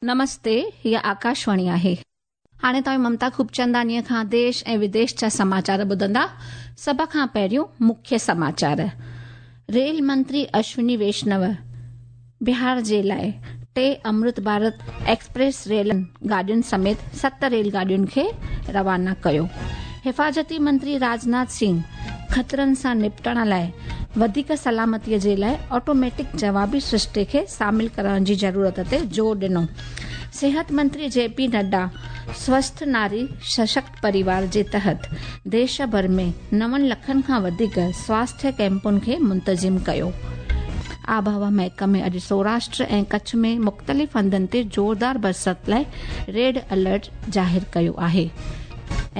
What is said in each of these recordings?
نمستي، هيء آڪاشواڻي آهي. هاڻي توهين ممتا خوبچنداڻيء کان ديش ۽ وديش جا سماچار ٻڌندا. سڀ کان پهريون مکيه سماچار. ريل منتري اشوني ويشنو بهار جي لاء ٽي امرت ڀارت ايڪسپريس ريل گاڏين سميت ست ريل گاڏين کي روانا ڪيو. حفاظتي منتري راجناٿ سنگهه خطرن سان نپٽڻ لاء وڌيڪ سلامتي جي لاء آٽوميٽڪ جوابي سرشتي کي شامل ڪرڻ جي ضرورت تي زور ڏنو. صحت منتري جي پي نڊا سوسٿ ناري سشڪت پريوار جي تحت ديش ڀر ۾ نون لکن کان وڌيڪ سواسٿيه ڪيمپن کي منتظم ڪيو. آبهوا محڪمي اڄ سوراشٽر ۽ ڪڇ ۾ مختلف هنڌن تي زوردار برسات لاء ريڊ الرٽ ظاهر ڪيو آهي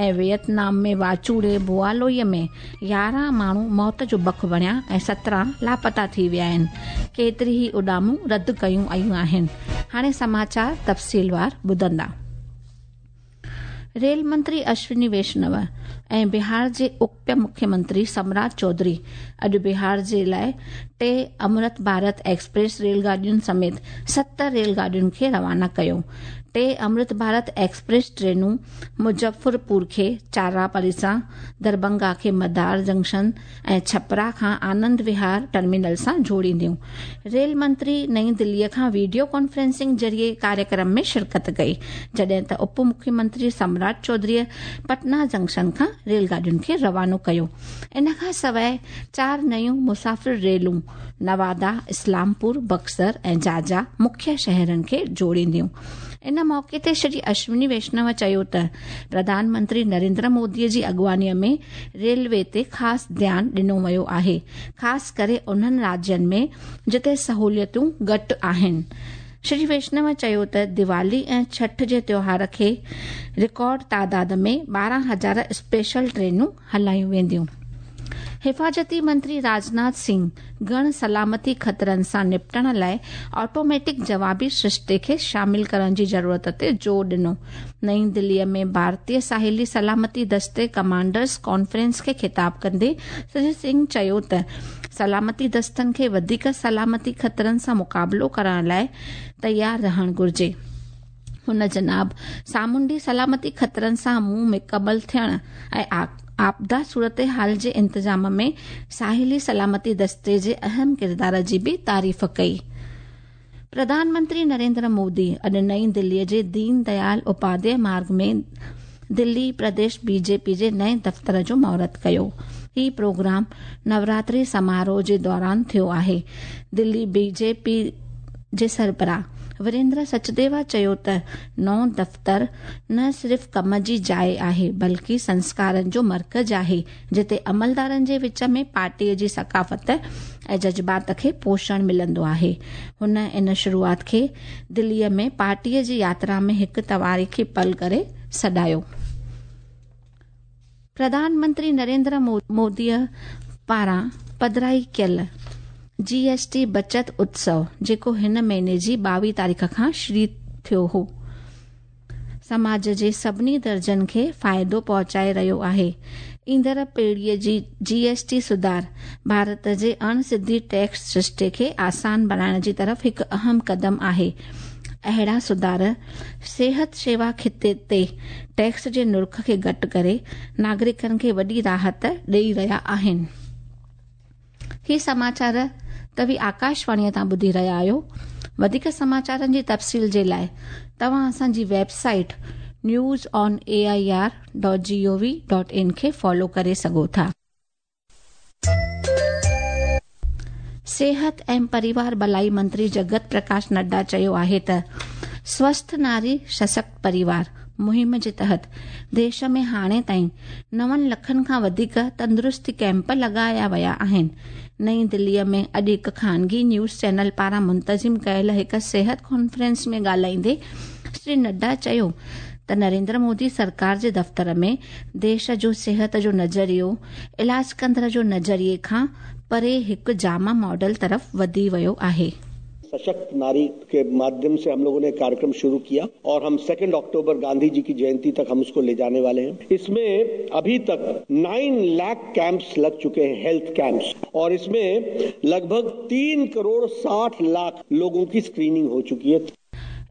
۽ ويتنام ۾ واچوڙي بوالوئي ۾ 11 ماڻهو موت جو بک بڻيا ۽ 17 لاپتا ٿي ويا آهن، ڪيتري ئي اڏامون رد ڪيون ويون آهن. هاڻي سماچار تفصيلوار ٻڌندا. ريل منتري اشوني ويشنو ۽ بهار جي اپ مکيه منتري سمراٽ چوڌري اڄ بهار جي لاء ٽي امرت ڀارت ايڪسپريس ريل گاڏين سميت ست ريل گاڏين کي روانا ڪيو. ٽي امرت ڀارت ايڪسپريس ٽرينون مظفرپور کي چاراپري سان، دربنگا کي مدار جنڪشن ۽ ڇپرا کان آنند وهار ٽرمينل سان جوڙينديون. ريل منتري نئين دلي کان وڊيو ڪانفرنسنگ ذريعي ڪاريڪرم ۾ شرڪت ڪئي، جڏهن ته اپ مکيه منتري سمراٽ چوڌريء پٽنا جنڪشن کان ريل گاڏين کي روانو ڪيو. ان کان سواء چار نيون مسافر ريلون نوادا، اسلام پور، بڪسر ۽ جاجا مکيه شهرن کي جوڙينديون. ان موقعي تي شري اشوني ويشنو چيو ته پرڌان منتري نريندر مودي جي اڳواڻي ۾ ريلوي تي خاص ڌيان ڏنو ويو آهي، خاص ڪري انهن راجين ۾ جتي سهوليتون گهٽ آهن. شري ويشنو چيو ته ديوالي ۽ ڇٺ جي تيوهار کي رڪارڊ تعداد ۾ 12 هزار اسپيشل ٽرينون هلايون وينديون. حفاظتي منتري راجناٿ سنگهه گهڻ سلامتي خطرن سان نپٽڻ لاء آٽوميٽڪ جوابي سرشتي کي شامل ڪرڻ جي ضرورت تي زور ڏنو. نئين دلي ۾ ڀارتيه ساحلي سلامتي دستي ڪمانڊرز ڪانفرنس کي خطاب ڪندي شري سنگهه چيو ته سلامتي دستن کي وڌيڪ سلامتي خطرن سان مقابلو ڪرڻ لاء تيار رهڻ گهرجي. هن جناب سامونڊي سلامتي خطرن سان منهن مقابل ٿيڻ ۽ آپدا صورتحال جي انتظام ۾ ساحلي سلامتي دستي جي اهم ڪردار جي به تعريف ڪئي. پرڌان منتري نريندر مودي اڄ نئين دلي جي دين ديال اپاڌياء مارگ ۾ دلي پرديش بي جي پي جي نئين دفتر جو مهورت ڪيو. هي پروگرام نوراتري سماروهه جي دوران ٿيو آهي. دلي بي جي پي جي سربراهه وريندر سچديوا چيو ته نئون دفتر نه صرف ڪم جي جاء آهي بلڪه سنسڪارن جو مرڪز آهي جتي عملدارن جي وچ ۾ پارٽي جي ثقافت ۽ جذبات کي پوشڻ ملندو آهي. هن ان شروعات کي دلي ۾ پارٽي جي ياترا ۾ هڪ تواريخي پل ڪري سڏايو. پرڌان منتري نريندر موديء پاران پڌرائي ڪيل جي ايس ٽي بچت اتسو جيڪو هن مهيني جي 22 تاريخ کان شروع ٿيو هو، سماج جي سڀني درجن کي فائدو پهچائي رهيو آهي. ايندڙ پيڙهيء جي جي ايس ٽي سڌار ڀارت جي اڻ سڌي ٽيڪس سرشتي کي آسان بڻائڻ جي طرف هڪ اهم قدم آهي. اهڙا سڌار صحت شيوا خطي تي ٽيڪس جي نرخ کي گهٽ ڪري ناگرڪن کي وڏي راحت ڏئي رهيا آهن. هي سماچار توهين آڪاشواڻيء تان ٻڌي رهيا آهيو. وڌيڪ سماچارن جي تفصيل جي لاء توهان اسان جي website news on A I R dot G O V dot in کي فالو ڪري سگهو ٿا. صحت ۽ پريوار ڀلائي منتري جگت پرڪاش نڊا چيو آهي ته سوسٿ ناري سشڪت پريوار مهم جي تحت ديش ۾ هاڻي تائين نون لکن کان وڌيڪ تندرستي ڪئمپ لڳايا ويا آهن. نئين دلي ۾ اڄ هڪ خانگي نيوز چينل پاران منتظم ڪيل هڪ صحت ڪانفرنس ۾ ڳالهائيندي شري نڊا چيو ته نريندر مودي سرڪار جي دفتر ۾ ديش جو صحت جو نظريو علاج ڪندڙ جو نظريي کان پري هڪ جامع ماڊل طرف وڌي ويو آهي. सशक्त नारी के माध्यम से हम लोगों ने कार्यक्रम शुरू किया और हम 2 अक्टूबर गांधी जी की जयंती तक हम उसको ले जाने वाले हैं। इसमें अभी तक 9 लाख कैंप्स लग चुके हैं, हेल्थ कैंप्स, और इसमें लगभग 3 करोड़ 60 लाख लोगों की स्क्रीनिंग हो चुकी है।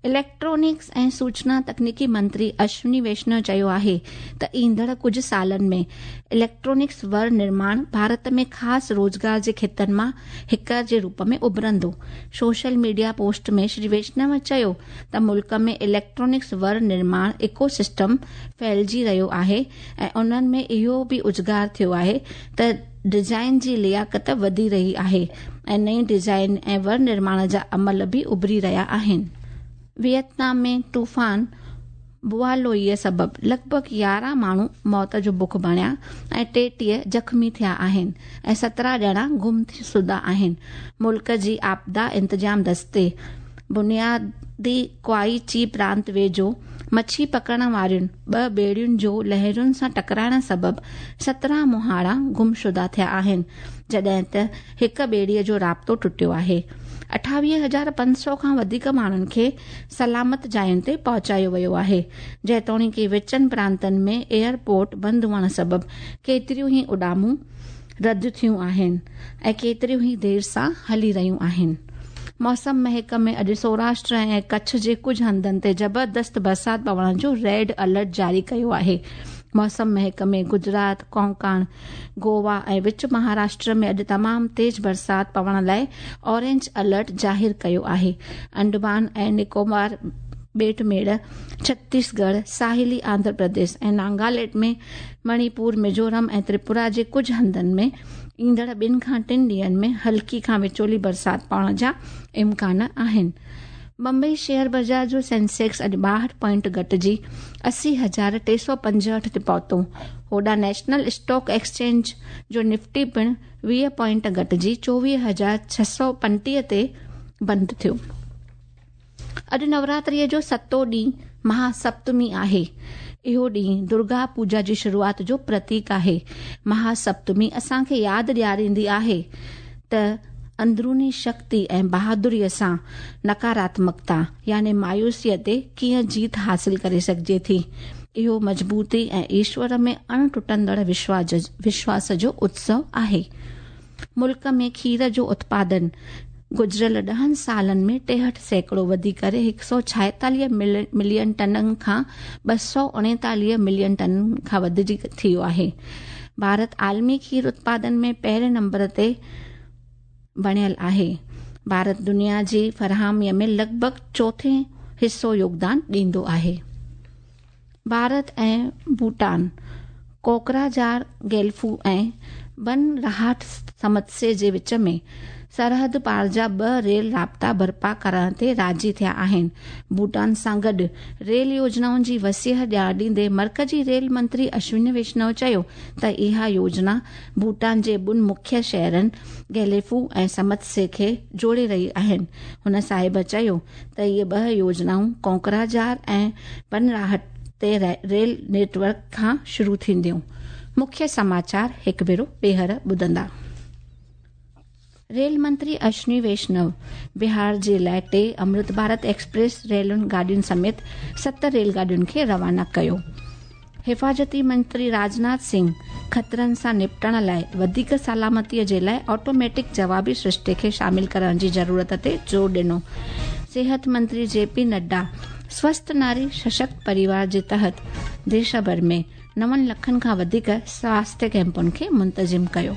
इलेक्ट्रॉनिक्स ऐं सूचना तकनीकी मंत्री अश्विनी वैष्णव चयो आहे त ईंदड़ कुझु सालनि में इलेक्ट्रॉनिक्स वर निर्माण भारत में ख़ासि रोज़गार जे ख़ितनि मां हिक जे रूप में उभरंदो। सोशल मीडिया पोस्ट में श्री वैष्णव चयो त मुल्क में इलेक्ट्रॉनिक्स वर निर्माण इकोसिस्टम फैलिजी रहियो आहे ऐं उन्हनि में इहो बि उजागर थियो आहे त डिज़ाइन जी लियाकत वधी रही आहे ऐं नई डिज़ाइन ऐं वर निर्माण जा अमल बि उभरी रहिया आहिनि। वियतनाम में तूफ़ान बुआलोईअ सबबि लॻभॻि 11 माण्हू मौत जो बुख बणिया ऐं 33 ज़ख़्मी थिया आहिनि ऐं 17 ॼणा गुम शुदा आहिनि। मुल्क जी आपदा इंतज़ाम दस्ते बुनियादी क्वाई ची प्रांत वेझो मच्छी पकड़ण वारियुनि 2 ॿेड़ियुनि जो लहरुनि सां टकराइण सबबि 17 मुहाणा गुमशुदा थिया आहिनि, जॾहिं त हिक ॿेड़ीअ जो राब्तो टुटियो आहे। 28,500 खां वधीक माण्हुनि खे सलामत जायुनि ते पहुचायो वियो आहे। जेतोणीक विचनि प्रांतनि में एयरपोर्ट बंदि हुअण सबबि केतिरियूं ई उॾामूं रद्द थियूं आहिनि ऐं केतिरियूं ई देरि सां हली रहियूं आहिनि। मौसम महकमे अॼु सौराष्ट्र ऐं कच्छ जे कुझु हंधनि ते ज़बरदस्त बरसाति पवण जो रेड अलर्ट जारी कयो आहे। मौसम महकमे गुजरात, कोंकण, गोवा ऐं विच महाराष्ट्र में अॼु तमामु तेज़ बरसाति पवण लाइ ऑरेंज अलर्ट ज़ाहिर कयो आहे। अंडमान ऐं निकोबार ॿेट मेड़, छत्तीसगढ़, साहिली आंध्र प्रदेश ऐं नागालैंड में मणिपुर, मिज़ोरम ऐं त्रिपुरा जे कुझु हंधनि में ईंदड़ 2 खां 3 ॾींहंनि में हल्की खां विचोली बरसाति पवण जा इम्कान आहिनि। बम्बई शेयर बाज़ार जो सेंसेक्स अॼु 62 पॉइंट घटिजी 80,365 ते पहुतो। होॾां नेशनल स्टॉक एक्सचेंज जो निफ्टी पिणु 20 पॉइंट घटिजी 24,635 ते बंदि थियो। अॼु नवरात्रीअ जो सतों ॾींहुं महासप्तमी आहे। इहो ॾींहुं दुर्गा पूजा जी शुरूआत जो प्रतीक आहे। महासप्तमी असांखे यादि ॾियारींदी आहे त अंदरूनी शक्ति ऐं बहादुरीअ सां नकारात्मकता यानी मायूसीअ ते कीअं जीत हासिल करे सघिजे थी। इहो मज़बूती ऐं ईश्वर में अण टुटंदड़ विश्वास जो उत्सव आहे। मुल्क में खीर जो उत्पादन गुज़िरियल 10 सालनि में 63% वधी करे 146 मिलियन टननि खां 239 मिलियन टननि खां वधिजी थी वियो आहे। भारत आलमी खीर उत्पादन में पहिरें नंबर ते बणियल आहे। भारत दुनिया जी फराहमीअ में लॻभॻि चोथें हिसो योगदान ॾींदो आहे। भारत ऐं भूटान कोकराझार, गेल्फू ऐं बनरहाट समत्से जे विच में सरहद पार जा 2 रेल राब्ता बर्पा करण ते राज़ी थिया आहिनि। भूटान सां गॾु रेल योजनाउनि जी वसीह ॼाण ॾींदे मर्कज़ी रेल मंत्री अश्विनी वैष्णव चयो त इहा योजना भूटान जे ॿिनि मुख्य शहरनि गेलेफू ऐं समत्से खे जोड़े रही आहिनि। हुन साहिब चयो त इहे 2 योजनाऊं कोकराझार ऐं बनराहट ते रेल नेटवर्क खां शुरू थींदियूं। मुख्य समाचार हिकु भेरो ॿीहर ॿुधंदा। रेल मंत्री अश्विनी वैष्णव बिहार जे लाइ 3 अमृत भारत एक्सप्रेस रेल गाॾियुनि समेत 7 रेलगाॾियुनि खे रवाना कयो। हिफाज़ती मंत्री राजनाथ सिंह ख़तरनि सां निपटण लाइ वधीक सलामतीअ जे लाइ ऑटोमेटिक जवाबी सृष्टि खे शामिल करण जी ज़रूरत ते ज़ोर ॾिनो। सेहत मंत्री जेपी नड्डा स्वस्थ नारी सशक्त परिवार जे तहत देश भर में 9 लखनि खां वधीक स्वास्थ्य कैंपुनि खे मुंतज़िम कयो।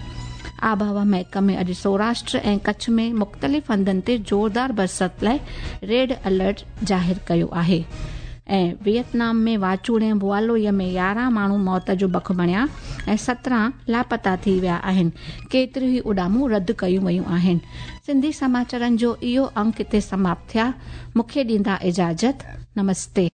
आबहवा महकमे अॼु सौराष्ट्र ऐं कच्छ में मुख़्तलिफ़ हंधनि ते ज़ोरदार बरसाति लाइ रेड अलर्ट ज़ाहिर कयो आहे। ऐं वियतनाम में वाचूड़े बुआलोईअ में 11 माण्हू मौत जो बख बणिया ऐं 17 लापता थी विया आहिनि। केतिरियूं ई उॾामूं रद्द कयूं वयूं आहिनि। सिंधी समाचारनि जो इहो अंक हिते समाप्त थिया। मूंखे ॾींदा इजाज़त। नमस्ते।